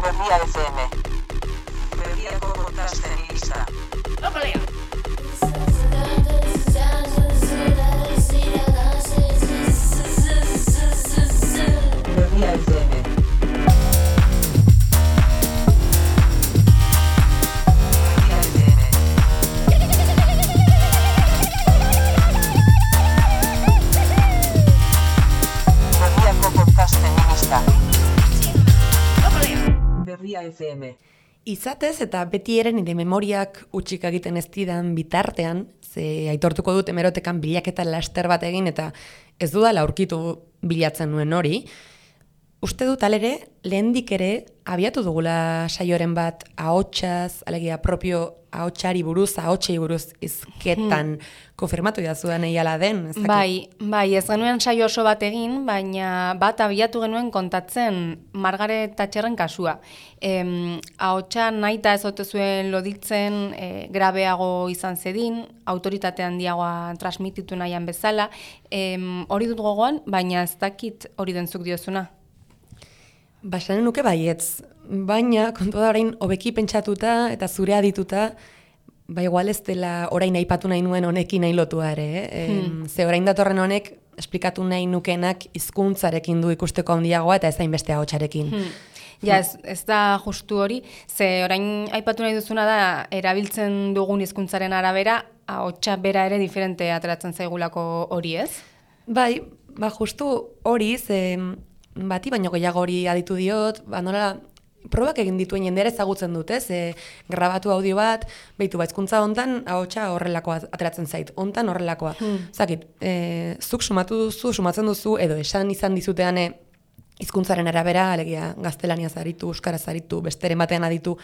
Berria FM. Berriako podcasten lista. Berria FM. Berria FM. Izatez eta betieren nire memoriak utxik egiten ez didan bitartean, ze aitortuko dut hemerotekan bilaketa laster bat egin eta ez dudala aurkitu bilatzen nuen hori, uste dut alere, lehendik ere, abiatu dugula saioren bat ahotsaz, alegia propio ahotsari buruz, ahotsei buruz izketan konfirmatu jazudan eiala den. Bai, ez genuen saio oso bat egin, baina bat abiatu genuen kontatzen Margaret Thatcherren kasua. Ahotsa nahita ez ote zuen loditzen, grabeago izan zedin, autoritate handiagoa transmititu nahian bezala, hori dut gogoan, baina ez dakit hori dentzuk diozuna. Basanen nuke baietz, baina kontu da orain hobeki pentsatuta eta zure adituta, igual ez dela orain aipatu nahi nuen honekin nahi lotua ere. Ze orain datorren honek esplikatu nahi nukenak hizkuntzarekin du ikusteko handiagoa eta ez hainbeste ahotsarekin. Ja, ez da justu hori, ze orain aipatu nahi duzuna da erabiltzen dugun hizkuntzaren arabera, ahotsa bera ere diferente ateratzen zaigulako hori, ez? Bai, justu hori, ze bati baino gehiago hori aditu diot, nola probak egin dituen jendera ezagutzen dut, grabatu audio bat, behitu hizkuntza hontan ahotsa horrelakoa ateratzen zait, hontan horrelakoa. Zakit, zuk sumatzen duzu, edo esan izan dizuteane hizkuntzaren arabera, alegia gaztelaniaz aritu, euskaraz aritu, besteren batean aditu,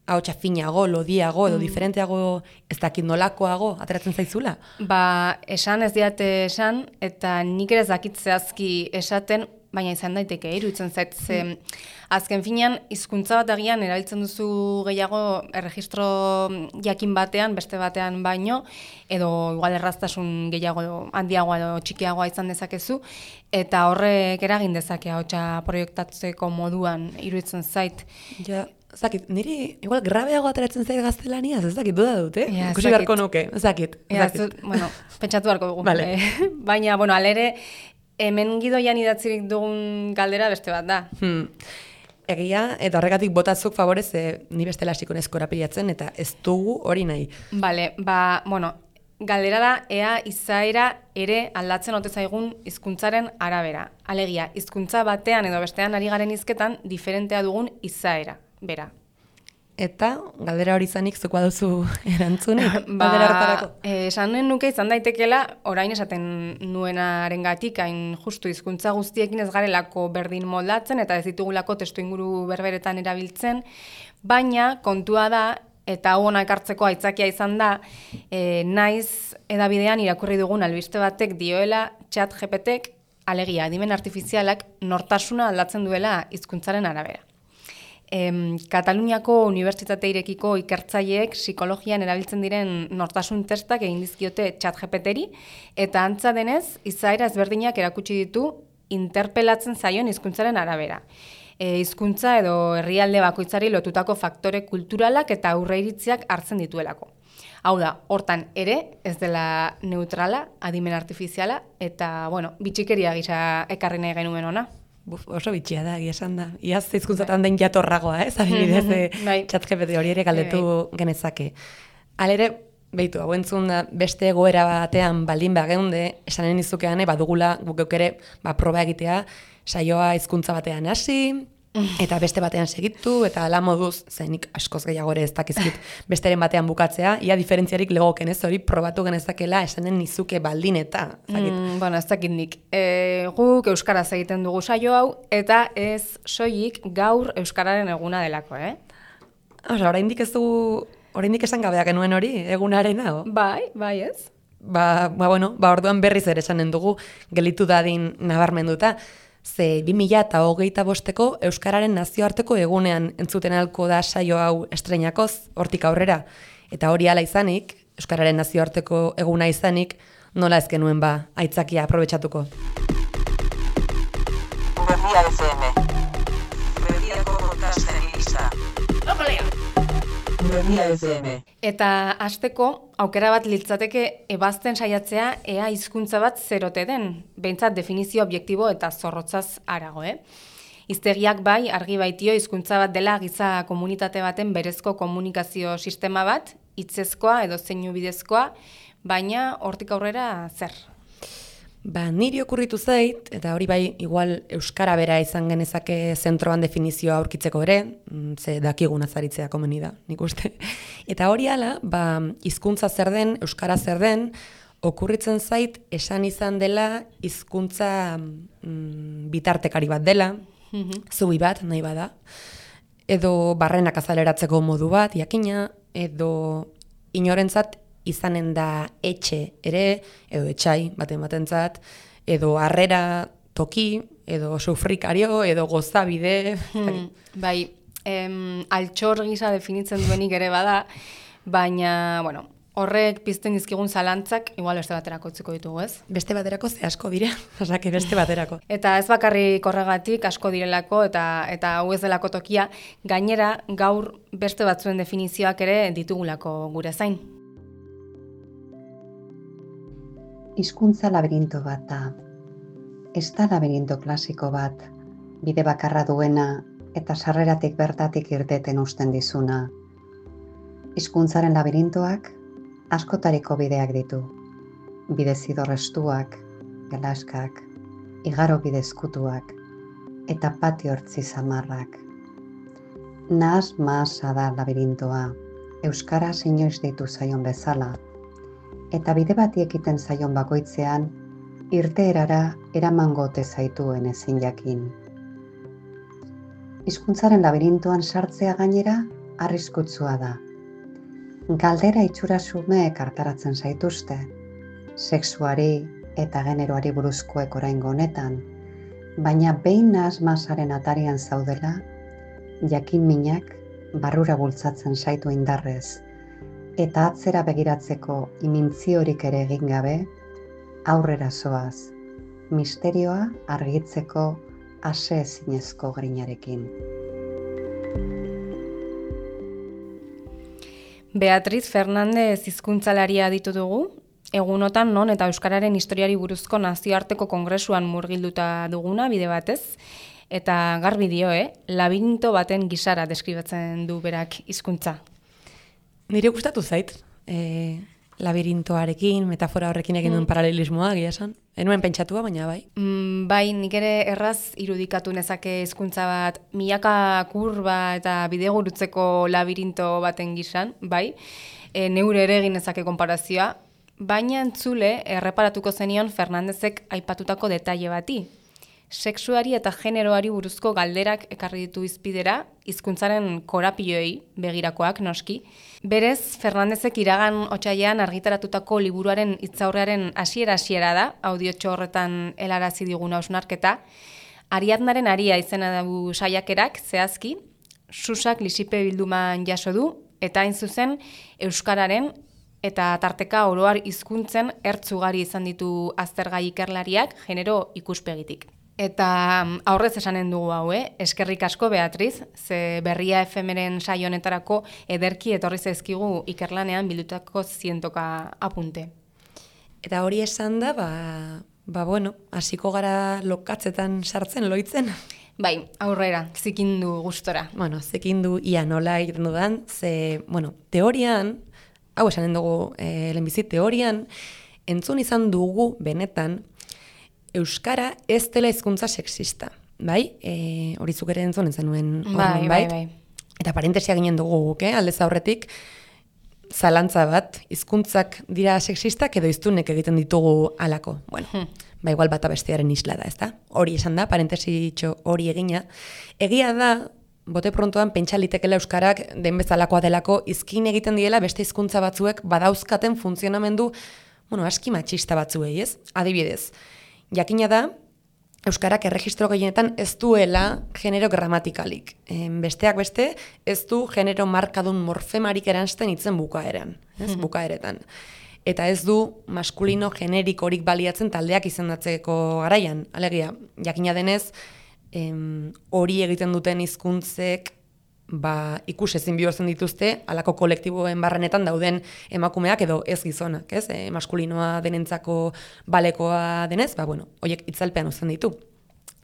ahotsa finago, lodiago, edo diferenteago, ez dakit nolakoago ateratzen zaizula? Esan ez diate esan, eta nik ere ez dakit zehazki esaten, baina izan daiteke, iruditzen zait, azken finean, hizkuntza bat agian erabiltzen duzu gehiago erregistro jakin batean, beste batean baino, edo igual erraztasun gehiago handiagoa edo txikiagoa izan dezakezu, eta horrek eragin dezake ahotsa proiektatzeko moduan iruditzen zait. Ja, zakit, niri igual grabeago ateratzen zait gaztelaniaz, ez dakit duda dut, ikusi beharko nuke, ez dakit. Pentsatu beharko dugu. Vale. Baina, alere, hemen gidoian idatzirik dugun galdera beste bat da. Egia, eta horregatik botatzuk favorez, ni bestela hasiko naiz korapilatzen, eta ez dugu hori nahi. Bale, galdera da, ea izaera ere aldatzen ote zaigun hizkuntzaren arabera. Alegia, hizkuntza batean edo bestean ari garen hizketan diferentea dugun izaera, bera. Eta, galdera hori izanik, zukoa duzu erantzunik? Galdera hartarako? Esan nuke izan daitekela, orain esaten nuenaren gatik, hain justu hizkuntza guztiekin ez garelako berdin moldatzen, eta ez ditugulako testu inguru berberetan erabiltzen, baina kontua da, eta hau hona ekartzeko aitzakia izan da, naiz edabidean irakurri dugun albiste batek dioela ChatGPTek, alegia, adimen artifizialak nortasuna aldatzen duela hizkuntzaren arabera. Kataluniako Unibertsitate Irekiko ikertzaileek psikologian erabiltzen diren nortasun testak egin dizkiote ChatGPTri, eta antza denez, izaera ezberdinak erakutsi ditu interpelatzen zaion hizkuntzaren arabera. Hizkuntza edo herrialde bakoitzari lotutako faktore kulturalak eta aurreiritziak hartzen dituelako. Hau da, hortan ere, ez dela neutrala, adimen artifiziala, eta, bitxikeria gisa ekarri nahi genuen ona. Oso bitxia da, esan da. Iaz hizkuntzatan den jatorragoa, adibidez, ChatGPT hori ere galdetu genezake. Halere, behitu, hau entzun da, beste egoera batean baldin geunde, esanen izukean, badugula guk ere proba egitea, saioa hizkuntza batean hasi, eta beste batean segitu, eta ala moduz, zenik askoz gehiago ere ez dakizkit besteren batean bukatzea, ia diferentziarik legoken ez, hori probatu genezakela esanen nizuke baldin eta. Ez dakit nik. Guk euskaraz egiten dugu saio hau, eta ez soilik gaur euskararen eguna delako, Oraindik ez dugu, oraindik esan gabea genuen hori, egunarena, Bai, ez? Orduan berriz ere esanen dugu, gelitu dadin nabarmenduta, ze 2025ko Euskararen nazioarteko egunean entzuten alko da saio hau estreinakoz, hortik aurrera. Eta hori hala izanik, Euskararen nazioarteko eguna izanik, nola ez genuen aitzakia aprobetxatuko. Berria FM. Berriako podcasten lista. Berria FM. Eta hasteko aukera bat litzateke ebazten saiatzea ea hizkuntza bat zerote den, behintzat definizio objektibo eta zorrotzaz harago, Hiztegiak bai argi baitio hizkuntza bat dela giza komunitate baten berezko komunikazio sistema bat, hitzezkoa edo zeinu bidezkoa, baina hortik aurrera zer? Niri okurritu zait, eta hori bai igual euskara bera izan genezake zentroan definizioa aurkitzeko ere, ze dakigun azaritzea komeni da, nik uste. Eta hori ala, hizkuntza zer den, euskara zer den, okurritzen zait esan izan dela hizkuntza bitartekari bat dela, zubi bat nahi bada, edo barrenak azaleratzeko modu bat, jakina, edo inorentzat izanen da etxe ere, edo etxai batentzat, edo harrera toki, edo sufrikario, edo gozabide. Bai, altxor gisa definitzen duenik ere bada, baina, bueno, horrek pizten dizkigun zalantzak, igual beste baterako utziko ditugu, ez? Beste baterako ze asko dire, osake beste baterako. Eta ez bakarrik horregatik asko direlako eta hau ez delako tokia, gainera gaur beste batzuen definizioak ere ditugulako gure zain. Hizkuntza labirinto bat da. Ez da labirinto klasiko bat, bide bakarra duena eta sarreratik bertatik irteten usten dizuna. Hizkuntzaren labirintoak askotariko bideak ditu. Bide zidorrestuak, gelaskak, igaro bidezkutuak eta patio hortzi zamarrak. Nahas-mahasa da labirintoa, euskara inoiz deitu zaion bezala, eta bide bati ekiten zaion bakoitzean, irteerara eramango ote zaituen ezin jakin. Hizkuntzaren labirintoan sartzea gainera arriskutsua da. Galdera itxura xumeek hartaratzen zaituzte, sexuari eta generoari buruzkoek oraingo honetan, baina behin nahas-mahasaren atarian zaudela, jakin minak barrura bultzatzen zaitu indarrez, eta atzera begiratzeko imintziorik ere egin gabe, aurrera zoaz, misterioa argitzeko ase ezinezko grinarekin. Beatriz Fernandez hizkuntzalaria ditu dugu, egunotan non eta euskararen historiari buruzko nazioarteko kongresuan murgilduta duguna bide batez, eta garbi dio, labirinto baten gisara deskribatzen du berak hizkuntza. Nire gustatu zait, labirintoarekin, metafora horrekin egin duen paralelismoa, egia esan. Enuen pentsatua, baina bai. Bai, nik ere erraz irudikatu nezake hizkuntza bat, milaka kurba eta bidegurutzeko labirinto baten gisan, bai. Neure ere egin nezake konparazioa, baina entzule erreparatuko zenion Fernandezek aipatutako detaile bati. Sexuari eta generoari buruzko galderak ekarri ditu hizpidera, hizkuntzaren korapioei begirakoak noski. Berez, Fernandezek iragan otsailean argitaratutako liburuaren hitzaurrearen hasiera da, audiotxo horretan helarazi digun hausnarketa. Ariadnaren aria izena du saiakerak zehazki, Susak lisipe bilduman jaso du, eta hain zuzen euskararen eta tarteka oroar hizkuntzen ertzugari izan ditu aztergai ikerlariak genero ikuspegitik. Eta aurrez esanen dugu hau, eskerrik asko Beatriz, ze Berria FM-ren saio honetarako ederki etorri zaizkigu ikerlanean bildutako zientoka apunte. Eta hori esan da, bueno, hasiko gara lokatzetan sartzen, loitzen. Bai, aurrera, zikindu gustora. Bueno, zikindu ia nola egiten dudan, ze, bueno, teorian, hau esanen dugu lehenbizit, teorian, entzun izan dugu benetan, euskara ez dela hizkuntza sexista, bai? Hori zuk ere entzun zenuen horren, bai? Eta parentesia ginen dugu guk, aldez aurretik, zalantza bat, hizkuntzak dira sexistak edo hiztunek egiten ditugu halako. Bueno, igual bata bestearen isla da, ezta? Hori esan da, parentesitxo hori egina. Egia da, bote prontoan pentsa litekela euskarak den bezalakoa delako izkin egiten diela beste hizkuntza batzuek badauzkaten funtzionamendu, aski matxista batzuei, ez? Adibidez, jakina da, euskarak erregistro gehienetan ez duela genero gramatikalik. Besteak beste, ez du genero markadun morfemarik eransten hitzen bukaeran, ez? Bukaeretan. Eta ez du maskulino generikorik baliatzen taldeak izendatzeko garaian. Alegia, jakina denez, hori egiten duten hizkuntzek ikus ezin bihurtzen dituzte halako kolektiboen barrenetan dauden emakumeak edo ez gizonak, ez? Maskulinoa denentzako balekoa denez, horiek itzalpean uzten ditu.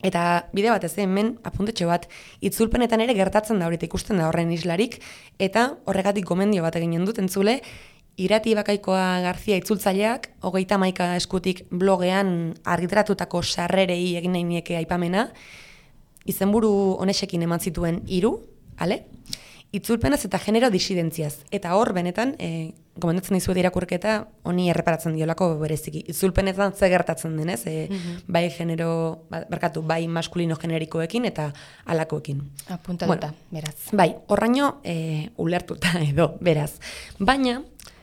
Eta bide bat ez hemen apuntetxo bat, itzulpenetan ere gertatzen da horita ikusten da horren islarik, eta horregatik gomendio bat eginen dut entzule, Irati Bakaikoa Garzia itzultzaileak 31 eskutik blogean argitaratutako sarrerei egin nahi nieke aipamena, izenburu honexekin eman zituen 3, itzulpenaz eta genero disidentziaz. Eta hor, benetan, gomendatzen dizuet irakurketa, honi erreparatzen diolako bereziki. Itzulpenetan ze gertatzen denez, bai genero, bai maskulino generikoekin eta alakoekin. Apuntatuta, beraz. Bai, horraino ulertuta edo, beraz. Baina,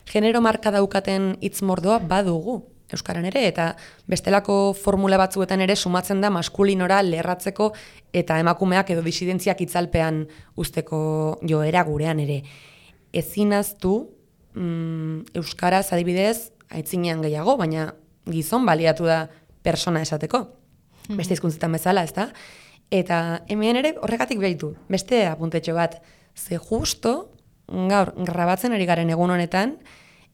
genero marka daukaten hitzmordoa badugu euskaran ere, eta bestelako formula batzuetan ere sumatzen da maskulinora lerratzeko eta emakumeak edo disidentziak itzalpean usteko joera gurean ere. Ezinaztu euskaraz adibidez aitzinean gehiago, baina gizon baliatu da persona esateko. Beste hizkuntzetan bezala, ezta? Eta hemen ere horregatik behitu. Beste apuntetxo bat, ze justo gaur grabatzen ari garen egun honetan,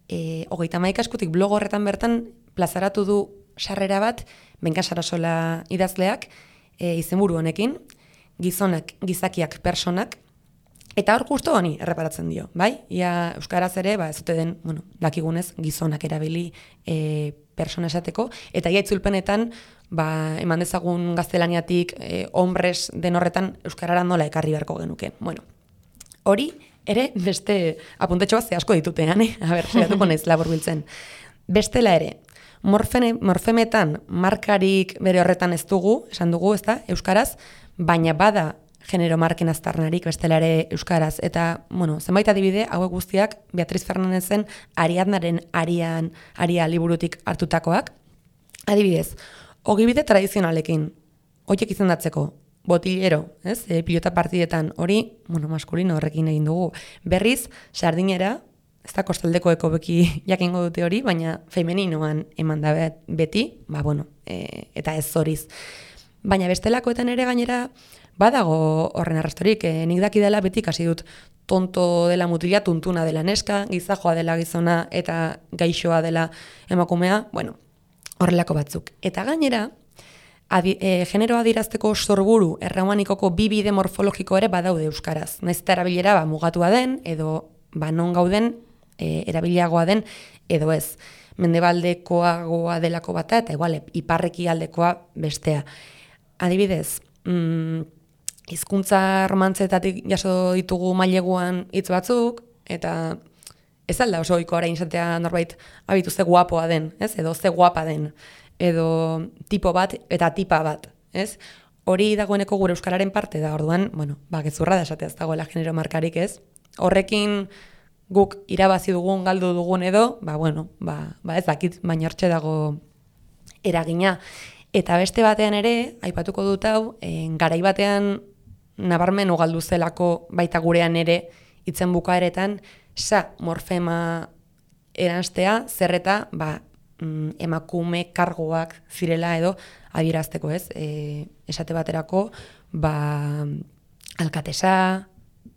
31 eskutik blog horretan bertan plazaratu du sarrera bat, Benka Sarasola idazleak, izenburu honekin, gizonak, gizakiak, personak, eta hor justo honi erreparatzen dio, bai? Ia euskaraz ere, ez dute den, dakigunez, gizonak erabili persona esateko, eta ia itzulpenetan, eman dezagun gaztelaniatik, hombres den horretan, euskarara nola ekarri beharko genuke. Hori, ere, beste apuntetxo bat ze asko ditutean, saiatuko naiz laburbiltzen. Bestela ere, morfemetan markarik bere horretan ez dugu, esan dugu, ezta, euskaraz, baina bada genero marken aztarnarik bestela ere euskaraz. Eta, zenbait adibide, hauek guztiak Beatriz Fernandezen Ariadnaren aria liburutik hartutakoak. Adibidez, ogibide tradizionalekin, horiek izendatzeko, botillero, ez? Pilota partidetan hori, maskulino horrekin egin dugu. Berriz, sardinera, ez da kostaldeko ekobeki jakingo dute hori, baina femeninoan eman da beti, eta ez zoriz. Baina bestelakoetan ere gainera, badago horren arrastorik, nik dakidala beti kasi dut tonto dela mutila, tuntuna dela neska, gizajoa dela gizona eta gaixoa dela emakumea, horrelako batzuk. Eta gainera, generoa adirazteko sorburu erromanikoko bi bide morfologiko ere badaude euskaraz. Naiz eta erabilera mugatua den, edo non gauden erabiliagoa den, edo ez. Mendebaldekoagoa delako bata, eta igual, iparreki aldekoa bestea. Adibidez, hizkuntza romantzetatik jaso ditugu maileguan hitz batzuk, eta ez alda oso ohikoa orain izatea norbait abitu ze guapoa den, ez? Edo ze guapa den, edo tipo bat eta tipa bat, ez? Hori dagoeneko gure euskararen parte da, orduan, gezurra da esatea ez dagoela genero markarik, ez? Horrekin guk irabazi dugun, galdu dugun edo, ez dakit, baina hortxe dago eragina. Eta beste batean ere, aipatuko dut hau, garai batean nabarmen ugaldu zelako baita gurean ere, hitzen bukaeretan, morfema eranstea, zerreta, emakume kargoak zirela edo adierazteko, ez? Esate baterako, alkatesa,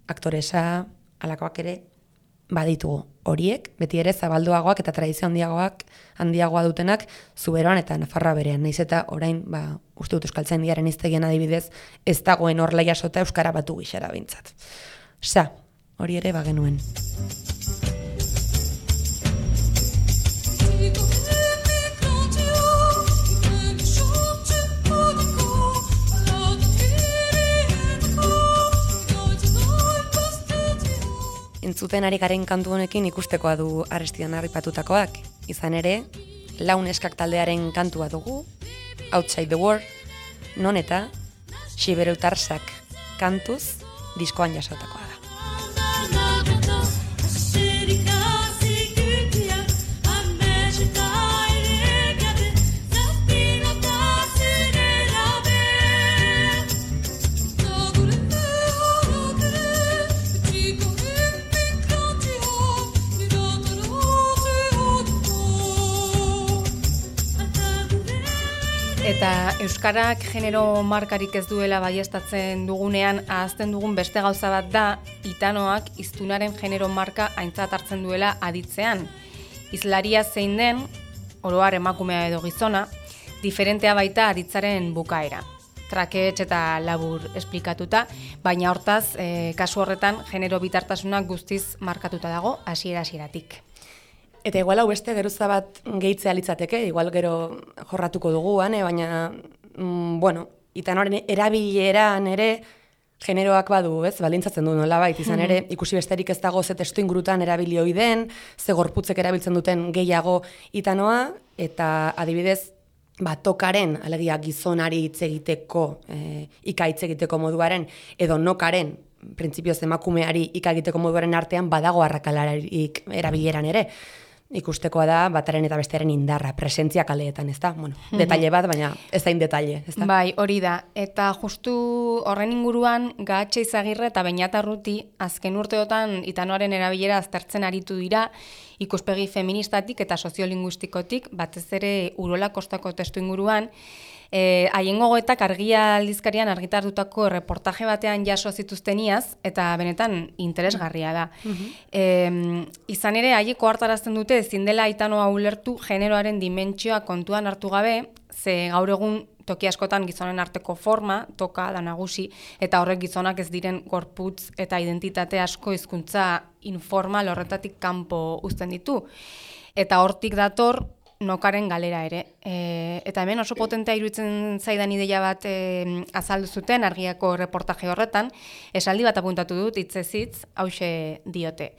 aktoresa, alakoak ere, baditugu. Horiek, beti ere zabalduagoak eta tradizio handiagoa dutenak Zuberoan eta Nafarroa berean. Naiz eta orain, uste dut euskaltzaindiaren hiztegian adibidez, ez dagoen horla jasota euskara batu gixara bintzat. Hori ere bagenuen. Entzuten ari garen kantu honekin ikustekoa du Arestian harripatutakoak. Izan ere, Lau Neskak taldearen kantua dugu, Outside the World, non eta Xibereutarsak kantuz diskoan jasotakoa da. Eta euskarak genero markarik ez duela baiestatzen dugunean, ahazten dugun beste gauza bat da, itanoak hiztunaren genero marka aintzat hartzen duela aditzean. Hizlaria zein den, oro har emakumea edo gizona, diferentea baita aditzaren bukaera. Trakets eta labur esplikatuta, baina hortaz, kasu horretan, genero bitartasunak guztiz markatuta dago, hasiera-hasieratik. Eta igual hau beste geruza bat gehitzea litzateke, igual gero jorratuko dugu, baina, itanoaren erabileran ere generoak badu, ez, baldintzatzen du nolabait, izan ere, ikusi besterik ez dago ze testu ingurutan erabili ohi den, ze gorputzek erabiltzen duten gehiago itanoa, eta adibidez, tokaren, alegia gizonari hitz egiteko, ika hitz egiteko moduaren, edo nokaren, printzipioz emakumeari ika egiteko moduaren artean badago arrakalarik erabileran ere. Ikustekoa da, bataren eta bestearen indarra, presentzia kaleetan, ez da? Detaile bat, baina ez da indetaile, ez da? Bai, hori da. Eta justu horren inguruan, Gaatxe Izagirre eta Beñat Arruti azken urteotan itanoaren erabilera aztertzen aritu dira, ikuspegi feministatik eta soziolinguistikotik, batez ere Urola Kostako testu inguruan, haien gogoetak Argia aldizkarian argitartutako reportaje batean jaso zituzteniaz, eta benetan interesgarria da. Izan ere, haiek ohartarazten dute ezin dela itanoa ulertu generoaren dimentsioa kontuan hartu gabe, ze gaur egun toki askotan gizonen arteko forma, toka da nagusi, eta horrek gizonak ez diren gorputz eta identitate asko hizkuntza informal horretatik kanpo uzten ditu. Eta hortik dator, nokaren galera ere. Eta hemen oso potentea iruditzen zaidan ideia bat azaldu zuten Argiako reportaje horretan, esaldi bat apuntatu dut, hitzez hitz, hauxe diote.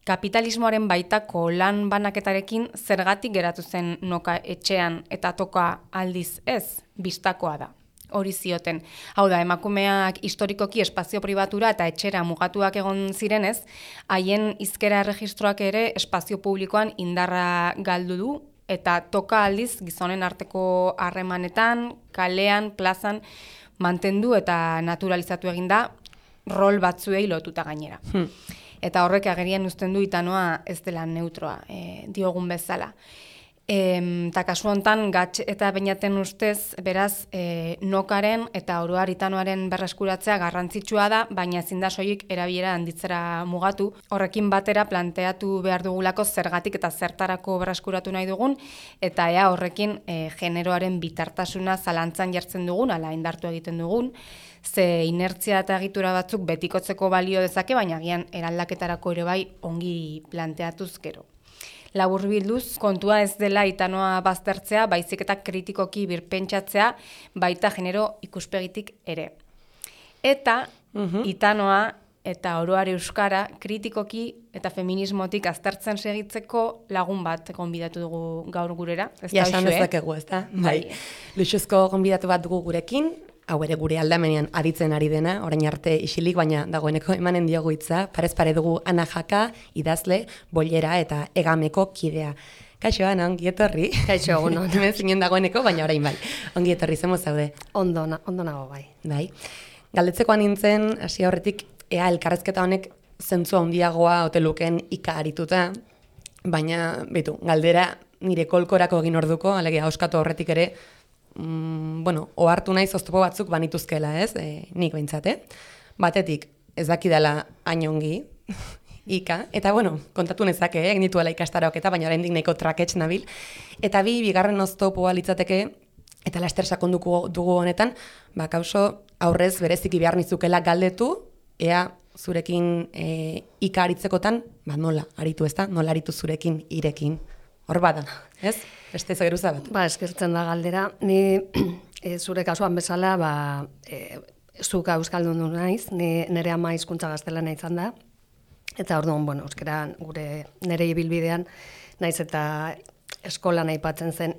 Kapitalismoaren baitako lan banaketarekin zergatik geratu zen noka etxean eta toka aldiz ez, bistakoa da. Hori zioten. Hau da, emakumeak historikoki espazio pribatura eta etxera mugatuak egon zirenez, haien hizkera erregistroak ere espazio publikoan indarra galdu du, eta toka aldiz gizonen arteko harremanetan, kalean, plazan, mantendu eta naturalizatu eginda rol batzuei lotuta gainera. Eta horrek agerian uzten du itanoa ez dela neutroa, diogun bezala. Eta kasu honetan, Gaatxe eta Beñaten ustez, beraz, nokaren eta oro har itanoaren berreskuratzea garrantzitsua da, baina ezin da soilik erabilera handitzera mugatu. Horrekin batera planteatu behar dugulako zergatik eta zertarako berreskuratu nahi dugun, eta ea horrekin generoaren bitartasuna zalantzan jartzen dugun, ala indartu egiten dugun, ze inertzia eta egitura batzuk betikotzeko balio dezake, baina agian eraldaketarako ere bai ongi planteatuz gero. Laburbilduz, kontua ez dela itanoa baztertzea, baizik eta kritikoki birpentsatzea, baita genero ikuspegitik ere. Eta itanoa eta oro har euskara kritikoki eta feminismotik aztertzen segitzeko lagun bat gonbidatu dugu gaur gurera. Ja, esan dezakegu, ez da? Bai. Luxuzko gonbidatu bat dugu gurekin, hau ere gure aldamenean aditzen ari dena, orain arte isilik, baina dagoeneko emanen diogu hitza, parez pare dugu Ana Jaka, idazle, bollera eta egameko kidea. Kaixo, Ana, ongi etorri. Kaixo, egun on. Hemen zinen dagoeneko, baina orain bai. Ongi etorri, zemo zaude? Ondo nago bai. Bai. Galdetzekoan nintzen, hasi horretik, ea elkarrezketa honek zentzu handiagoa ote lukeen ika arituta, baina, betu, galdera nire kolkorako egin orduko, alegia auskatu horretik ere, ohartu naiz oztopo batzuk banituzkela, ez? Nik behintzat, Batetik, ez dakidala hain ongi, ika, eta kontatu nezake, egin dituela ikastaroak eta baina oraindik nahiko trakets nabil, eta bigarren oztopoa litzateke, eta laster sakonduko dugu honetan, kauso aurrez bereziki behar nizukela galdetu, ea zurekin ika aritzekotan, nola aritu ez da, nola aritu zurekin irekin, hor bada, ez? Beste geruza bat. Eskertzen da galdera. Ni zure kasuan bezala, zuk euskaldun du naiz, nire ama hizkuntza gaztelana izan da, eta orduan, euskara nire ibilbidean, naiz eta eskolan aipatzen zen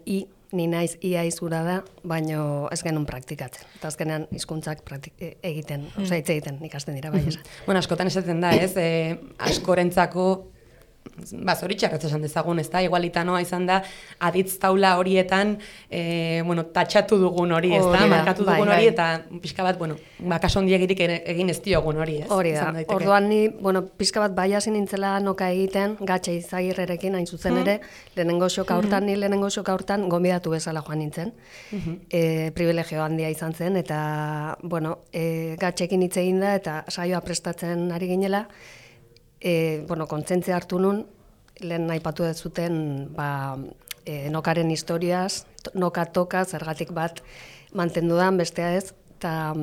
ni naiz ia izura da, baino ez genuen praktikatzen. Eta azkenean hizkuntzak hitz egiten ikasten dira bai esan. Askotan esaten da, ez? Askorentzako zoritxarrez esan dezagun, ez da, igualitanoa izan da, aditz taula horietan, tatxatu dugun hori, ez da, markatu dugun hori, eta pixka bat, kaso ondiegirik egin ez diogun hori, ez? Hori da, orduan ni, pixka bat bai hasi nintzela noka egiten, Gatxe Izagirrerekin hain zuzen ere, lehenengo xoka hortan gonbidatu bezala joan nintzen, privilegio handia izan zen, eta, Gatxekin hitz egin da, eta saioa prestatzen ari ginela, kontzentzia hartu nun, lehen aipatu dezuten, nokaren historiaz, noka toka, zergatik bat mantendu dan, bestea ez, eta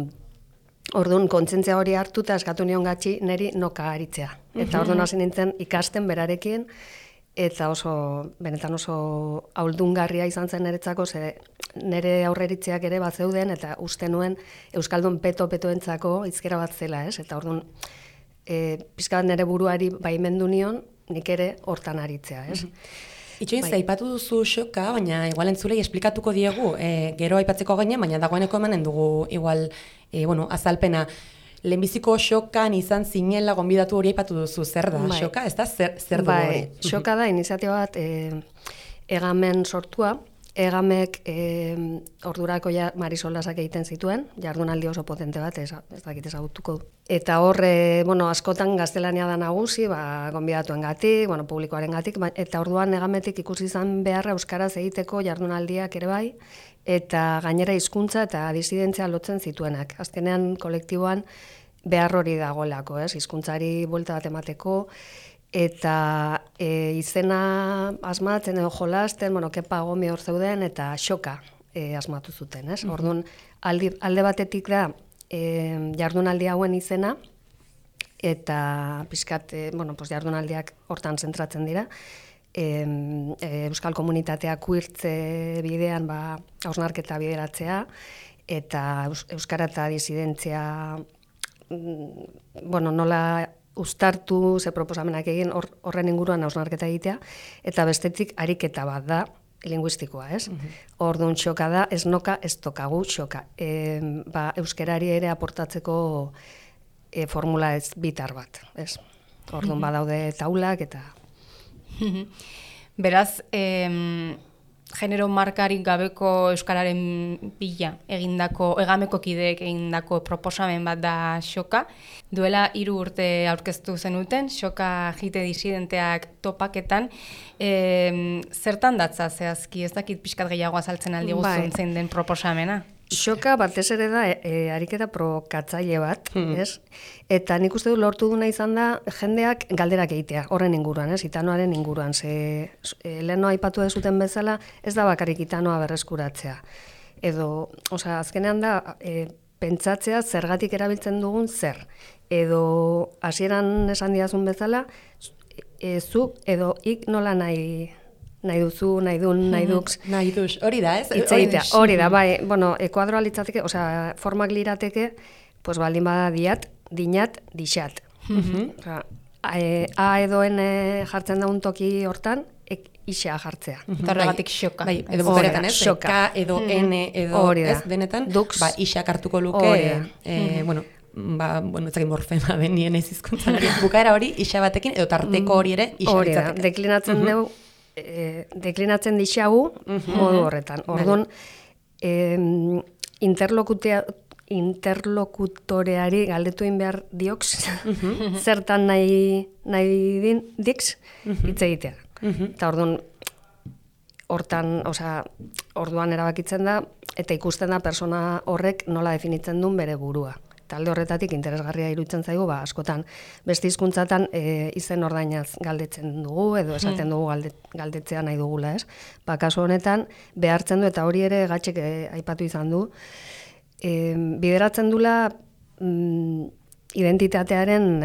orduan kontzentzia hori hartu eta eskatu nion Gatxi neri noka aritzea. Eta orduan hasi nintzen ikasten berarekin, eta benetan oso auldungarria izan zen niretzako, ze nire aurreritzeak ere bat zeuden, eta uste nuen Euskaldun petoentzako hizkera bat zela, ez? Eta orduan, pixka bat nire buruari baimendu nion, nik ere hortan aritzea, ez? Itxoin, aipatu duzu xoka, baina igual entzulei esplikatuko diegu, gero aipatzeko ginen, baina dagoeneko emanen dugu igual, azalpena. Lehenbiziko xokan izan zinela gonbidatu hori aipatu duzu, zer da? Xoka, ez da, zer du hori? Xoka da, iniziatiba bat, Egamen sortua, Egamek ordurako Marisolasak egiten zituen, jardunaldi oso potente bat, ez dakit ezagutuko du. Eta hor, askotan gaztelania da nagusi, gonbidatuengatik, publikoarengatik, eta orduan Egametik ikusi izan beharra euskaraz egiteko jardunaldiak ere bai, eta gainera hizkuntza eta disidentzia lotzen zituenak. Azkenean kolektiboan behar hori dagoelako, hizkuntzari buelta bat emateko, eta izena asmatzen edo jolasten, Kepa Gomi hor zeuden, eta xoka asmatu zuten, ez? Orduan, alde batetik da jardunaldi hauen izena, eta pixkat, jardunaldiak hortan zentratzen dira, Euskal Komunitatea kuirtze bidean hausnarketa bideratzea, eta Euskara eta disidentzia, nola uztartu, ze proposamenak egin horren inguruan hausnarketa egitea, eta bestetik ariketa bat da, linguistikoa, ez? Orduan xoka da, ez noka, ez tokagu xoka. Euskarari ere aportatzeko formula ez bitar bat, ez? Orduan badaude taulak eta... Beraz, genero markarik gabeko euskararen bila Egameko kideek egindako proposamen bat da xoka. Duela 3 urte aurkeztu zenuten, xoka jite disidenteak topaketan. Zertan datza zehazki, ez dakit pixkat gehiago azaltzen aldi guztun zein den proposamena? Xoka batez ere da ariketa provokatzaile bat, ez? Eta nik uste du lortu duna izan da jendeak galderak egitea, horren inguruan, ez? Itanoaren inguruan, leheno aipatu dezuten bezala, ez da bakarrik itanoa berreskuratzea. Edo, azkenean da, pentsatzea zergatik erabiltzen dugun zer. Edo, hasieran esan diazun bezala, zuk edo ik nola nahi duzu, nahi dun, nahi dux. Nahi dux, hori da, ez? Hori da, bai, ekuadroa litzateke, formak lirateke, baldin bada diat, dinat, dixat. A edo N jartzen daun toki hortan, isea jartzea. Eta horregatik xoka. Bai, edo bukaretan, ez? K edo N edo ez denetan, isak hartuko luke, ezagin morfema den nien ez hizkuntzan hori. Bukaera hori, isa batekin, edo tarteko hori ere, isa litzateke. Deklinatzen dugu, deklinatzen dixagu modu horretan. Orduan, interlokutoreari galdetu egin behar dioks, zertan nahi din dix hitz egitea. Eta orduan erabakitzen da, eta ikusten da persona horrek nola definitzen duen bere burua. Talde horretatik interesgarria iruditzen zaigu, askotan beste hizkuntzatan izen ordainaz galdetzen dugu, edo esaten dugu galdetzea nahi dugula, ez? Kasu honetan, behartzen du, eta hori ere Gatxek aipatu izan du, bideratzen dula identitatearen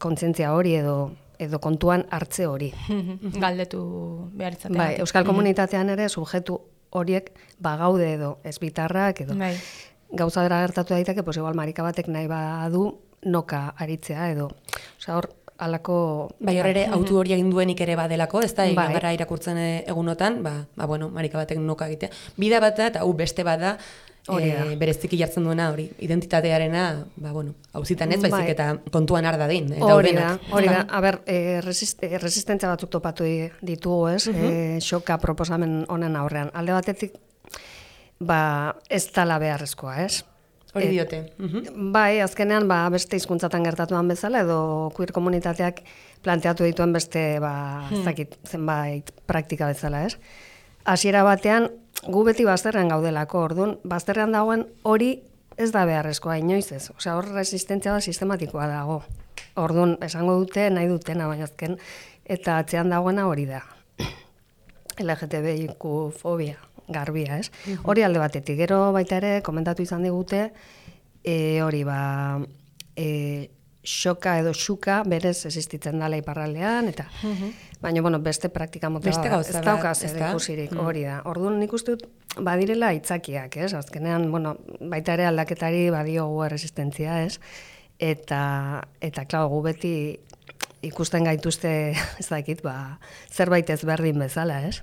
kontzientzia hori edo kontuan hartze hori. Galdetu behar izatea. Bai, Euskal Komunitatean ere subjektu horiek bagaude edo ezbitarrak edo gauza dara gertatu daiteke, igual marika batek nahi badu noka aritzea edo, hor alako... Bai, hor ere autu hori egin duenik ere badelako, ez da, gara irakurtzen egunotan, marika batek noka egitea. Bida bat da, eta beste bat da, Hori da. bereziki jartzen duena hori, identitatearena, hauzitan ez, baizik Bai. eta kontuan har dadin. Hori da, daudenak. hori da. A ber, resistentzia batzuk topatu ditugu, ez? Xoka proposamen honen aurrean. Alde batetik, ez dala beharrezkoa, ez? Hori diote. Bai, azkenean, beste hizkuntzatan gertatuan bezala, edo queer komunitateak planteatu dituen beste, ez dakit, zenbait praktika bezala, ez? Hasiera batean, gu beti bazterrean gaudelako, orduan, bazterrean dagoen hori ez da beharrezkoa, inoiz ez. Osea, hor resistentzia da sistematikoa dago. Orduan, esango dute, nahi dutena, baina azken, eta atzean dagoena hori da. LGTBIQ fobia, garbia, ez? Hori alde batetik, gero baita ere, komentatu izan digute, hori xoka edo xuka berez existitzen dela iparraldean, eta baina, beste praktika mota Beste gauza ez dauka bat, zer ezta? ikusirik, hori da. Orduan nik uste dut, badirela aitzakiak, ez? Azkenean, baita ere aldaketari badiogu resistentzia, ez? Eta klar, gu beti ikusten gaituzte, ez dakit, zerbait ezberdin bezala, ez?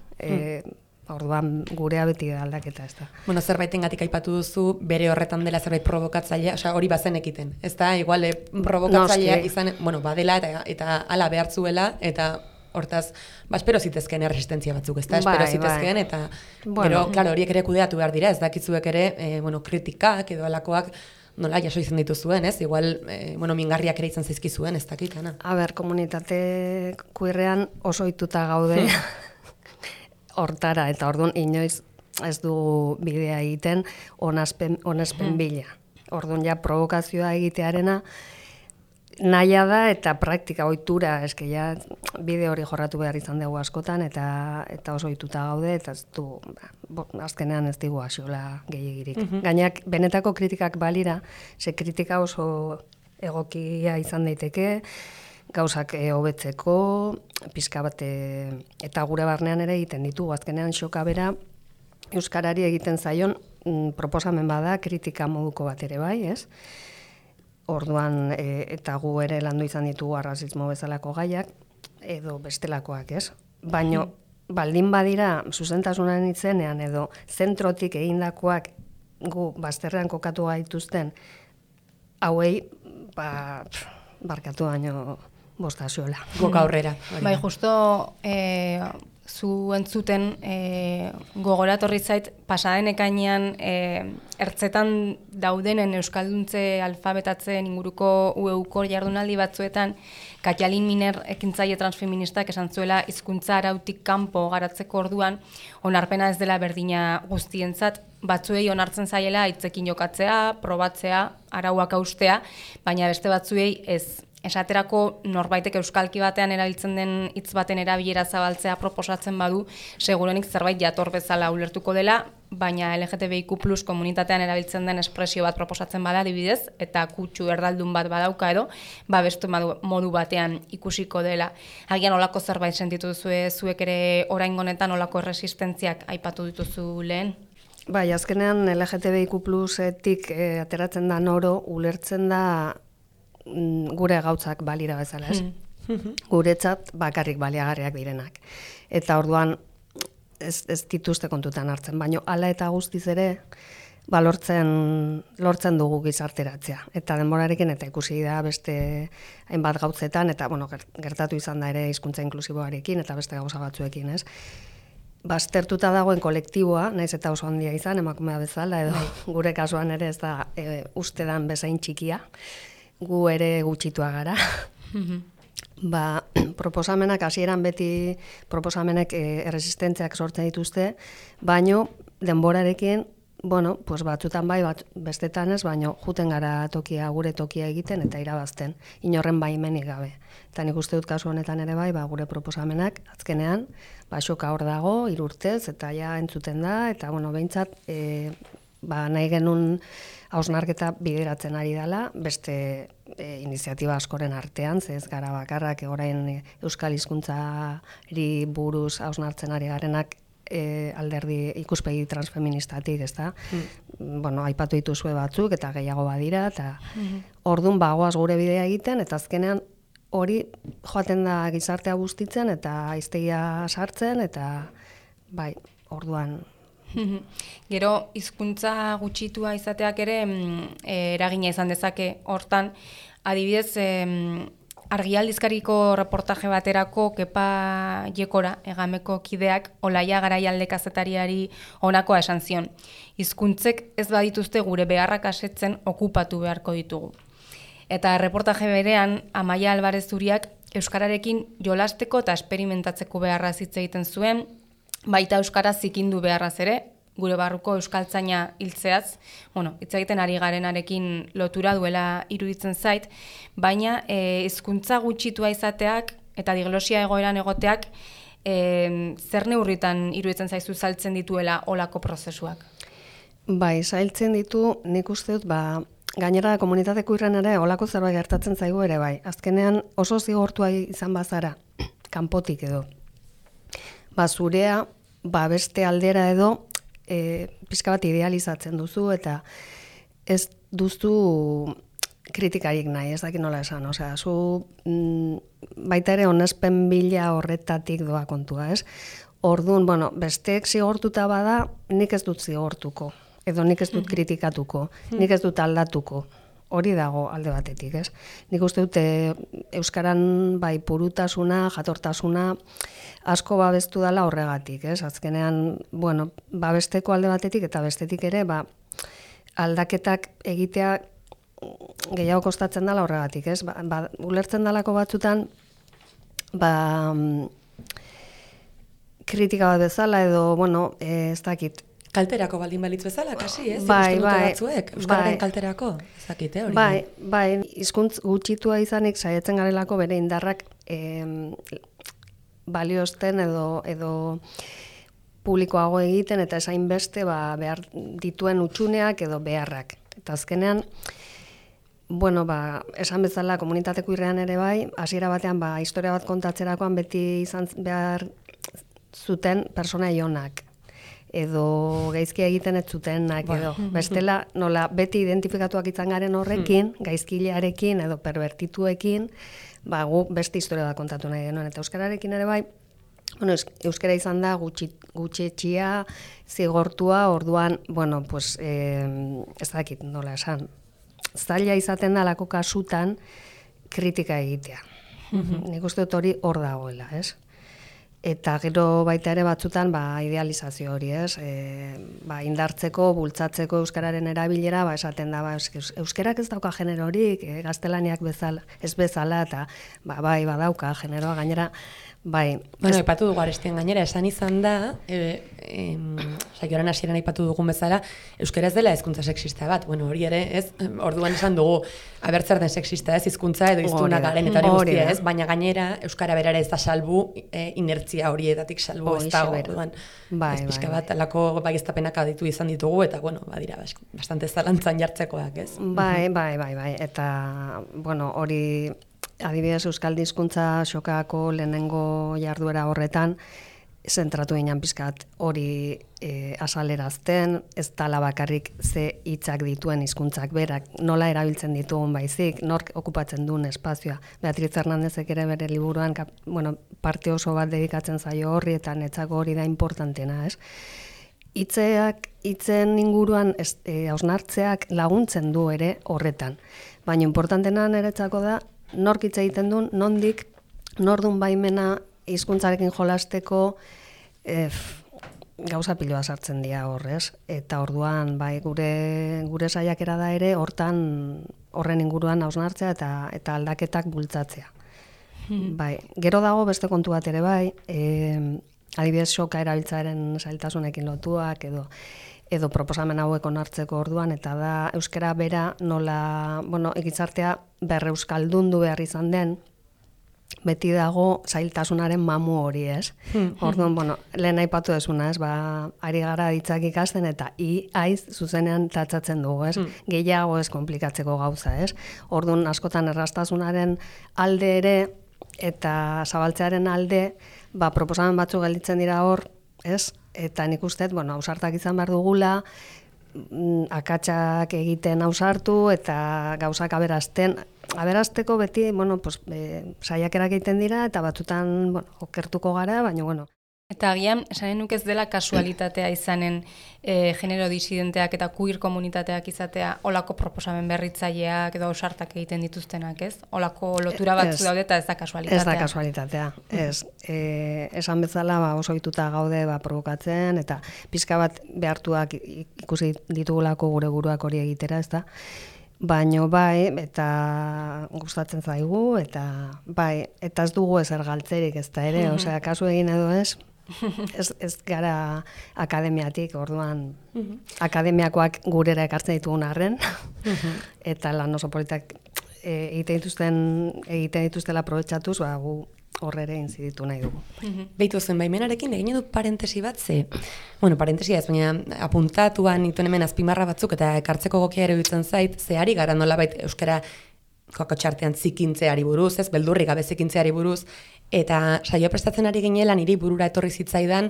Orduan gurea beti da aldaketa, ez da. Zerbaitengatik aipatu duzu, bere horretan dela zerbait provokatzailea, ori bazen ekiten. Ez da, igual, provokatzailea izan, badela eta ala behartzuela, eta hortaz, espero zitezkeen resistentzia batzuk, ez da, espero zitezkeen, eta gero, klaro, horiek ere kudeatu behar dira, ez dakitzuek ere, kritikak edo alakoak, nola jaso izan dituzuen, ez? Igual, mingarriak ere izan zaizkizuen, ez dakit, ana. A ber, komunitate queerrean oso ohituta gaude hortara, eta orduan inoiz ez du bidea egiten onespen bila. Orduan ja provokazioa egitearena naia da eta praktika ohitura, eske ja bide hori jorratu behar izan dugu askotan eta oso ohituta gaude eta ez du azkenean ez digu axola gehiegirik. Gainak benetako kritikak balira, ze kritika oso egokia izan daiteke, gauzak hobetzeko, pizka bat eta gure barnean ere egiten ditugu. Azkenean xoka bera euskarari egiten zaion proposamen bada kritika moduko bat ere bai, ez? Orduan eta gu ere landu izan ditugu arrazismo bezalako gaiak edo bestelakoak, ez? Baino baldin badira zuzentasunaren itzenean edo zentrotik egindakoak gu bazterrean kokatu gaituzten hauei barkatu baino bostaziola. Boka aurrera. Bai, justo zu entzuten gogoratorri zait pasaden ekainean ertzetan daudenen euskalduntze alfabetatzen inguruko UEUko jardunaldi batzuetan Katialin Miner ekintzaile transfeministak esan zuela hizkuntza arautik kanpo garatzeko orduan onarpena ez dela berdina guztientzat, batzuei onartzen zaiela hitzekin jokatzea, probatzea, arauak haustea, baina beste batzuei ez. Esaterako norbaitek euskalki batean erabiltzen den hitz baten erabilera zabaltzea proposatzen badu, segurenik zerbait jator bezala ulertuko dela, baina LGTBIQ+ komunitatean erabiltzen den espresio bat proposatzen bada adibidez, eta kutsu erdaldun bat badauka edo, beste modu batean ikusiko dela. Agian olako zerbait sentitu duzue zuek ere oraingo honetan olako erresistentziak aipatu dituzu lehen? Bai, azkenean LGTBIQ+-etik ateratzen da noro, ulertzen da gure gautzak balira bezala, ez? Guretzat bakarrik baliagarriak direnak. Eta orduan ez dituzte kontutan hartzen, baino hala eta guztiz ere lortzen dugu gizarteratzea. Eta denborarekin eta ikusi da beste hainbat gautzetan, eta gertatu izan da ere hizkuntza inklusiboarekin eta beste gauza batzuekin, ez? Baztertuta dagoen kolektiboa, naiz eta oso handia izan, emakumea bezala, edo gure kasuan ere ez da ustedan bezain txikia, gu ere gutxitua gara. Proposamenak hasieran beti proposamenek erresistentziak sortzen dituzte, baino denborarekin, batzutan bai, bestetan ez, baino juten gara gure tokia egiten eta irabazten, inorren baimenik gabe. Eta nik uste dut kasu honetan ere bai, gure proposamenak azkenean, xoka hor dago, 3 urtez, eta ja entzuten da, eta behintzat, nahi genuen hausnarketa bideratzen ari dela, beste iniziatiba askoren artean, ze ez gara bakarrak orain euskal hizkuntzari buruz hausnartzen ari garenak alderdi ikuspegi transfeministatik, ezta? Aipatu dituzue batzuk eta gehiago badira, eta orduan bagoaz gure bidea egiten, eta azkenean hori joaten da gizartea bustitzen eta hiztegia sartzen, eta orduan Gero, hizkuntza gutxitua izateak ere eragina izan dezake hortan, adibidez, argialdizkariko reportaje baterako Kepa Jekora, Egameko kideak, Olaia Garaialde kazetariari honakoa esan zion. Hizkuntzek ez badituzte gure beharrak asetzen okupatu beharko ditugu. Eta reportaje berean, Amaia Alvarez Zuriak euskararekin jolasteko eta esperimentatzeko beharraz hitz egiten zuen, baita euskara zikindu beharraz ere, gure barruko euskaltzaina hiltzeaz, hitz egiten ari garenarekin lotura duela iruditzen zait, baina hizkuntza gutxitua izateak eta diglosia egoeran egoteak zer neurritan iruditzen zaizu saltzen dituela olako prozesuak? Bai, zailtzen ditu, nik uste dut, gainera komunitateko irren ere olako zerbait gertatzen zaigu ere bai. Azkenean oso zigortua izan bazara, kanpotik edo. Zurea, beste aldera edo, pixka bat idealizatzen duzu eta ez duzu kritikarik nahi, ez dakit nola esan. Osea, zu baita ere onespen bila horretatik doa kontua, ez? Orduan, besteek zigortuta bada, nik ez dut zigortuko. Edo nik ez dut kritikatuko, nik ez dut aldatuko. Hori dago alde batetik, ez? Nik uste dut euskaran bai purutasuna, jatortasuna asko babestu dela horregatik, ez? Azkenean, babesteko alde batetik eta bestetik ere, aldaketak egitea gehiago kostatzen dela horregatik, ez? Ulertzen dalako batzutan, kritika bat bezala edo, ez dakit, Kalterako baldin balitz bezala, kasi, ez? Bai, batzuek, euskararen kalterako, ez dakit, hori. Bai, hizkuntz gutxitua izanik saiatzen garelako bere indarrak baliozten edo publikoago egiten eta esain beste behar dituen utxuneak edo beharrak. Eta azkenean, esan bezala komunitateko irrean ere bai, hasiera batean historia bat kontatzerakoan beti izan behar zuten persona ionak edo gaizki egiten ez zutenak edo. Bestela, nola beti identifikatuak izan garen horrekin, gaizkilearekin edo pervertituekin, gu beste historia bat kontatu nahi genuen. Eta euskararekin ere bai, euskara izan da gutxetxia, zigortua, orduan, ez dakit nola esan. Zaila izaten da lako kasutan kritika egitea. Nik uste dut hori hor dagoela, ez? Eta gero baita ere batzutan idealizazio hori, ez? Indartzeko, bultzatzeko euskararen erabilera, esaten da, euskarak ez dauka generorik, gaztelaniak ez bezala, eta badauka generoa gainera, Aipatu dugu Arestian gainera, esan izan da, saioaren hasieran aipatu dugun bezala, euskara ez dela hizkuntza sexista bat. Hori ere, ez? Orduan esan dugu, abertzer den sexista ez, hizkuntza edo hiztuna garen eta hori guztia, ez? Baina gainera, euskara berara ez da salbu, inertzia horietatik salbu ez dago. Orduan, ez pixka bat, alako baieztapenak aditu izan ditugu, eta, badira, bastante zalantzan jartzekoak, ez? Bai, eta, hori... Adibidez, euskal hizkuntza xokako lehenengo jarduera horretan, zentratu ginen pizkat hori azalerazten, ez dala bakarrik ze hitzak dituen hizkuntzak berak, nola erabiltzen ditugun baizik, nork okupatzen duen espazioa. Beatriz Hernandezek ere bere liburuan, parte oso bat dedikatzen zaio horri, eta netzako hori da importantena, ez? Hitzen inguruan hausnartzeak laguntzen du ere horretan. Baina importantena niretzako da, nork hitz egiten duen, nondik, nordun baimena hizkuntzarekin jolasteko gauza piloa sartzen dira horrez. Eta orduan, gure saiakera da ere, horren inguruan hausnartzea eta aldaketak bultzatzea. Gero dago beste kontu bat ere adibidez soka erabiltzaren zailtasunekin lotuak edo proposamen hauek onartzeko orduan, eta da euskara bera nola, gizartea berreuskaldundu behar izan den, beti dago zailtasunaren mamu hori, ez? Orduan, lehen aipatu desuna, ez? Ari gara ditzak ikasten eta aiz zuzenean tatzatzen dugu, ez? Gehiago ez komplikatzeko gauza, ez? Orduan, askotan errastasunaren alde ere eta zabaltzearen alde, proposamen batzuk gelditzen dira hor, ez? Eta nik uste, ausartak izan behar dugula, akatsak egiten ausartu eta gauzak aberazteko beti, saiakerak egiten dira eta batzutan okertuko gara, baina, Eta agian, esanen nuke ez dela kasualitatea izanen genero disidenteak eta queer komunitateak izatea olako proposamen berritzaileak edo ausartak egiten dituztenak, ez? Olako lotura batzu daude eta ez da kasualitatea. Ez da kasualitatea, ez. Esan bezala oso ohituta gaude provokatzen, eta pixka bat behartuak ikusi ditugulako gure buruak hori egitera, ez da? Baino bai, eta gustatzen zaigu, eta bai, eta ez dugu ezer galtzerik, ez da ere, osea, kasu egin edo ez gara akademiatik, orduan akademiakoak gurera ekartzen ditugun arren, eta lan oso politak egiten dituztela aprobetxatuz, gu horrere inziditu nahi dugu. Beitu zen, baimenarekin egin dut parentesi bat, parentesia ez, baina apuntatuan ituen hemen azpimarra batzuk eta ekartzeko gokia ere dutzen zait, zehari gara nolabait euskara kokotxartean zikintzeari buruz, ez, beldurri gabe zikintzeari buruz, eta saio prestatzen ari ginela niri burura etorri zitzaidan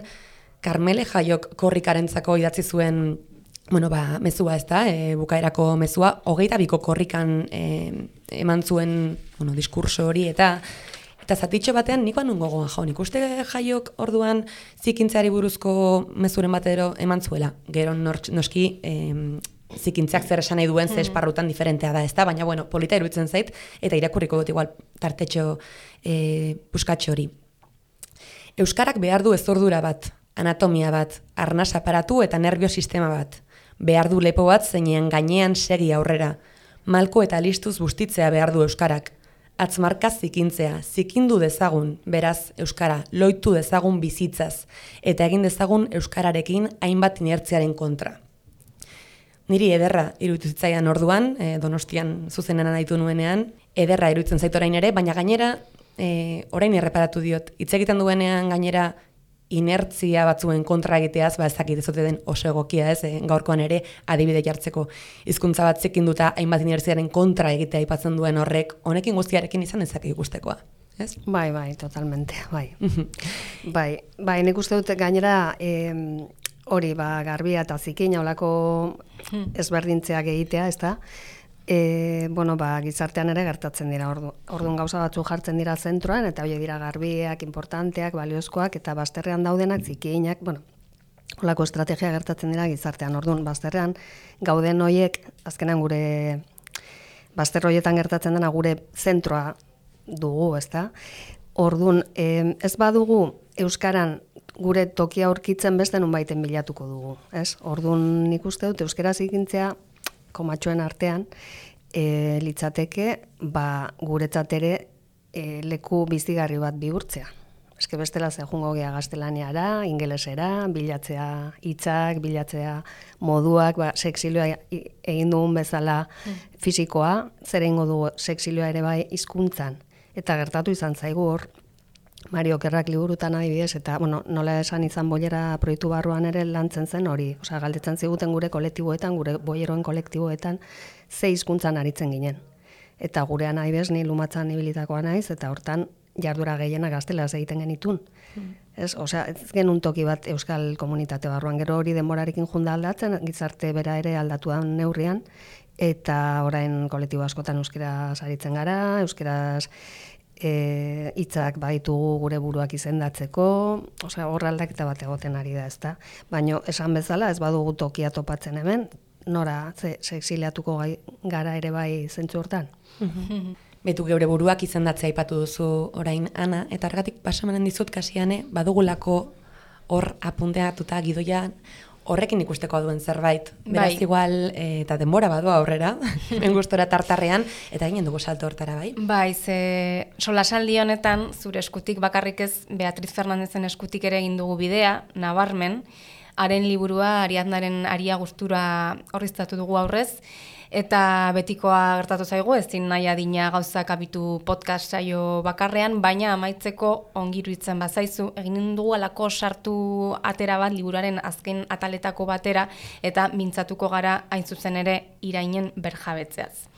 Karmele Jaiok korrikarentzako idatzi zuen mezua ez da, bukaerako mezua, 22ko korrikan eman zuen diskurso hori, eta zatitxo batean nikoan nun gogoan nik uste Jaiok orduan zikintzeari buruzko mezuren batero eman zuela. Gero noski zikintzeak zer esan nahi duen ze esparrutan diferentea da, ez da, baina polita iruditzen zait, eta irakurriko dut igual tartetxo puskatxo hori. Euskarak behar du ezordura bat, anatomia bat, arnas aparatu eta nerviosistema bat. Behar du lepo bat zeinean gainean segi aurrera. Malko eta listuz bustitzea behar du Euskarak. Atzmarkaz zikintzea, zikindu dezagun, beraz, Euskara, loitu dezagun bizitzaz, eta egin dezagun Euskararekin hainbat inertziaren kontra. Niri ederra iruditu zitzaidan orduan, Donostian zuzenean aditu nuenean, ederra iruditzen zait orain ere, baina gainera, orain erreparatu diot, hitz egiten duenean gainera inertzia batzuen kontra egiteaz, ez dakit ez ote den oso egokia ez, gaurkoan ere adibide jartzeko hizkuntza bat zikinduta hainbat inertziaren kontra egitea aipatzen duen horrek, honekin guztiarekin izan ezak ikustekoa. Ez? Bai, totalmente, bai. Bai, nik uste dut gainera hori garbia eta zikina olako ezberdintzeak egitea, ez da? Gizartean ere gertatzen dira, orduan gauza batzu jartzen dira zentroan, eta hori dira garbiak, importanteak, baliozkoak, eta bazterrean daudenak, zikinak, olako estrategia gertatzen dira gizartean, orduan bazterrean gauden horiek, azkenan gure bazter horietan gertatzen dena gure zentroa dugu, ez da? Orduan, ez badugu Euskaran gure tokia aurkitzen beste nunbaiten bilatuko dugu, ez? Orduan nik uste dut euskara zikintzea komatxoen artean, litzateke, guretzat ere leku bizigarri bat bihurtzea. Eske bestela ze joango gea gaztelaniara, ingelesera, bilatzea hitzak, bilatzea moduak, sexilioa egin dugun bezala fisikoa, zer egingo dugu sexilioa ere bai hizkuntzan. Eta gertatu izan zaigu hor, Mario Okerrak liburutan adibidez, eta nola esan izan boilera proiektu barruan ere lantzen zen hori. Osea, galdetzen ziguten gure kolektiboetan, gure boieroen kolektiboetan, ze hizkuntzan aritzen ginen. Eta gurean adibidez, ni lumatzan ibilitakoa naiz, eta hortan jardura gehiena gaztelaz egiten genitun. Osea, ez genuen toki bat euskal komunitate barruan, gero hori denborarekin junda aldatzen, gizarte bera ere aldatuan neurrian, eta orain kolektibo askotan euskeraz aritzen gara, euskeraz hitzak baitugu gure buruak izendatzeko, osea, hor aldaketa bat egoten ari da, ezta. Baina esan bezala ez badugu tokia topatzen hemen, nora exiliatuko gara ere bai zentzu hortan. Betu geure buruak izendatzea aipatu duzu orain, Ana, eta argatik pasamanen dizut kasiane, badugulako hor apunteatuta gidoia horrekin ikusteko duen zerbait. Beraz igual, eta denbora badua aurrera, hemen gustora tartarrean, eta ginen dugu salto hortara, bai? Bai, solasaldi honetan, zure eskutik bakarrik ez, Beatriz Fernandezen eskutik ere egin dugu bidea, nabarmen, haren liburua, Ariadnaren aria gustura horriztatu dugu aurrez, eta betikoa gertatu zaigu, ezin nahi adina gauzak abitu podcast saio bakarrean, baina amaitzeko ongi iruditzen bazaizu, egin dugu alako sartu atera bat liburuaren azken ataletako batera, eta mintzatuko gara hain zuzen ere irainen berjabetzeaz.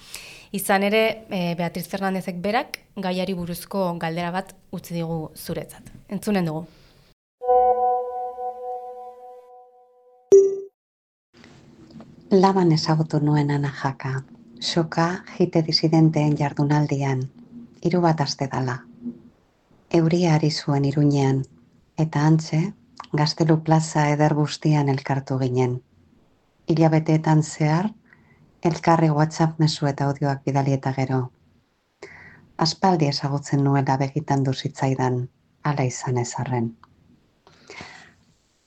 Izan ere, Beatriz Fernandezek berak gaiari buruzko galdera bat utzi digu zuretzat. Entzunen dugu. Laban ezagutu nuen Ana Jaka, soka jite disidenteen jardunaldian, 3 aste dala. Euria ari zuen Iruñean, Eta antxe, Gaztelu plaza eder guztian elkartu ginen. Hilabeteetan zehar, elkarri WhatsApp mezu eta audioak bidali eta gero. Aspaldi ezagutzen nuela begitan du zitzaidan, hala izan ezarren.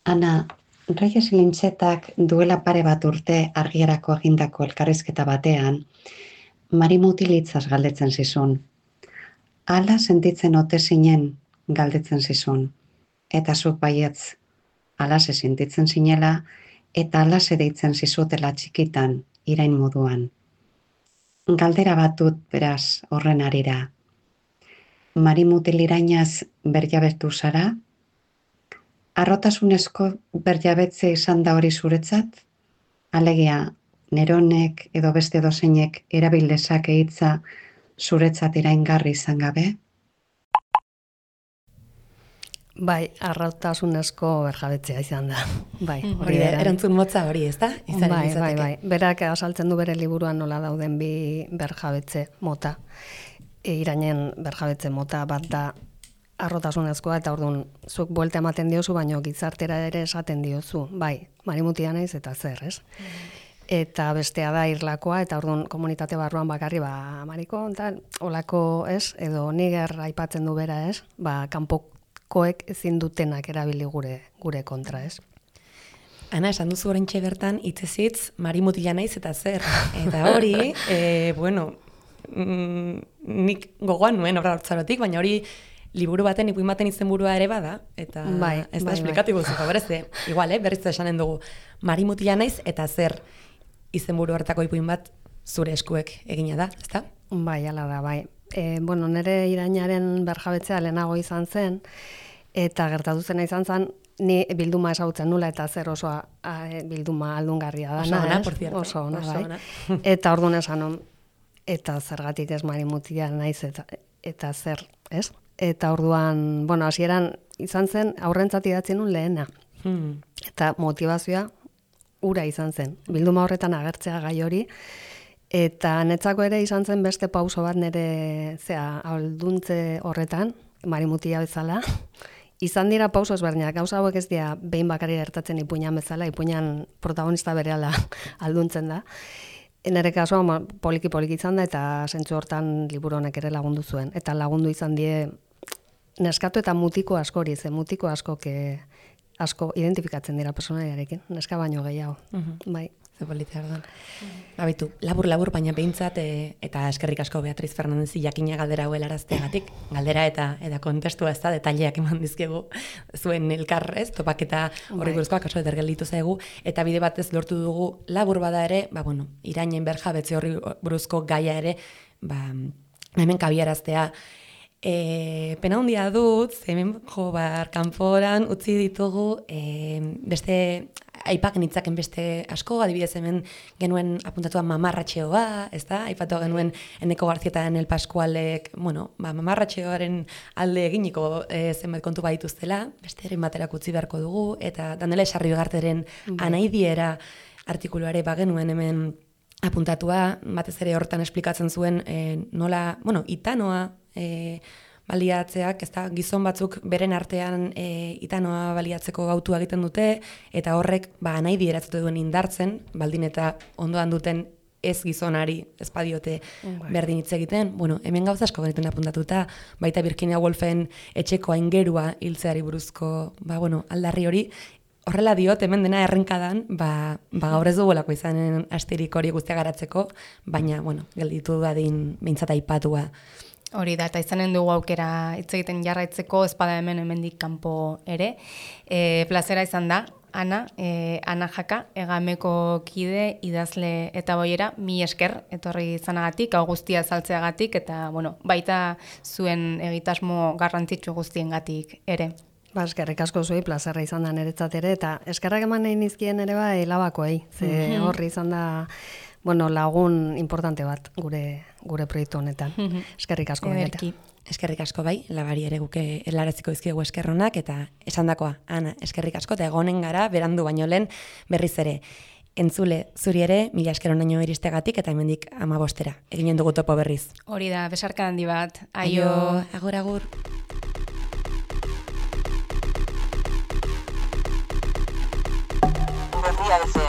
Ana, Reyes Lintxetak duela pare bat urte argiarako egindako elkarrizketa batean, Mari Mutilitzaz galdetzen zizun. Hala sentitzen ote zinen galdetzen zizun. Eta zuk baietz, alase sentitzen zinela, eta alase deitzen zizutela txikitan, irain moduan. Galdera bat dut beraz horren arira. Mari Mutil irainaz berjabetu zara? Arrotasunezko berjabetze izan da hori zuretzat? Alegia, neronek edo beste dozeinek erabil dezake hitza zuretzat iraingarri izan gabe? Bai, arrautasunezko berjabetzea izan da. Bai, Hori da, erantzun motza hori, ez da? Bai. Berak azaltzen du bere liburuan nola dauden bi berjabetze mota. Irainen berjabetze mota bat da arrotasunezkoa, eta orduan zuk buelta ematen diozu, baino gizartera ere esaten diozu. Bai, marimutia naiz eta zer, ez? Eta bestea da irlakoa, eta orduan komunitate barruan bakarri, mariko, tal, olako, ez? Edo niger aipatzen du bera, ez? Kanpokoek ezin dutenak erabili gure kontra, ez? Ana, esan duzu oraintxe bertan, hitzezitz, marimutila naiz eta zer. Eta hori, nik gogoan nuen obra hortzarotik, baina hori liburu baten, ipuin baten izenburua ere bada, eta ez da esplikatibu zu, favoreze. Igual, berriz da esanen dugu, marimutila naiz eta zer izenburu hartako ipuin bat zure eskuek egina da, ezta? Bai, ala da, bai. Nire irainaren berjabetzea lehenago izan zen, eta gertatu zena izan zen, ni bilduma ezagutzen nula, eta zer oso bilduma aldungarria da. Oso ona, por cierto. Oso ona, bai. Eta orduan esan, eta zergatik ez marimutia naiz, eta zer, ez? Eta orduan, hasieran izan zen, aurrentzat idatzen nun lehena. Eta motivazioa ura izan zen. Bilduma horretan agertzea gai hori, eta netzako ere izan zen beste pauso bat nire alduntze horretan, marimutia bezala. Izan dira pauso ezberdinak, gauza hauek ez dira behin bakari gertatzen ipuinan bezala, ipuinan protagonista berehala alduntzen da. Nere kasuan poliki izan da, eta zentzu hortan liburu honek ere lagundu zuen. Eta lagundu izan die neskatu eta mutiko askori, ze mutiko asko identifikatzen dira personaliarekin, neska baino gehiago. Bai. Ze politia orduan. Babitu, labur, baina behintzat, eta eskerrik asko Beatriz Fernandezi jakina galdera hau helarazteagatik, galdera eta kontestua ez da, detaileak eman dizkegu zuen elkar, ez, topaketa horri buruzkoak oso eder gelditu zaigu, eta bide batez lortu dugu labur bada ere, irainen berjabetze horri buruzko gaia ere, hemen kabiaraztea. Pena handia dut, hemen kanporan utzi ditugu beste aipaken hitzaken beste asko, adibidez hemen genuen apuntatua mamarratxeoa, ez da? Aipatu genuen Eneko Garzieta El Pascualek, mamarratxeoaren alde eginiko zenbait kontu badituztela, beste eren baterak utzi beharko dugu, eta Daniela Esarri Begarteren anaidiera artikuluare bagenuen hemen apuntatua, batez ere hortan esplikatzen zuen nola, itanoa, baliatzeak, ez da, gizon batzuk beren artean itanoa baliatzeko gautua egiten dute, eta horrek nahi dieratzute duen indartzen, baldin eta ondoan duten ez gizonari ez badiote berdin hitz egiten. Hemen gauza asko genituen apuntatuta, baita Virginia Woolfen etxeko aingerua hiltzeari buruzko, aldarri hori, horrela diot, hemen dena errenkadan, gaur ez dugulako izanen asterik hori guztia garatzeko, baina, gelditu dadin behintzat aipatua. Hori da, eta izanen dugu aukera hitz egiten jarraitzeko, espada hemendik kanpo ere. Plazera izan da, Ana Jaka, Egameko kide, idazle eta boiera, mi esker, etorri izanagatik, hau guztia saltzeagatik, eta baita zuen egitasmo garrantzitsu guztiengatik ere. Eskerrik asko zuei, plazerra izan da niretzat ere, eta eskerrak eman nahi nizkien ere Labakoei, ze horri izan da lagun importante bat gure proiektu honetan. Eskerrik asko Ederki. Eskerrik asko bai, Labari ere guke helaraziko dizkiegu eskerronak, eta esandakoa, Ana, eskerrik asko, eta egonen gara, berandu baino lehen berriz ere. Entzule, zuri ere, 1000 esker honaino iristegatik, eta hemendik 15 eginen dugu topo berriz. Hori da, besarka handi bat. Aio. Agur. Berria FM.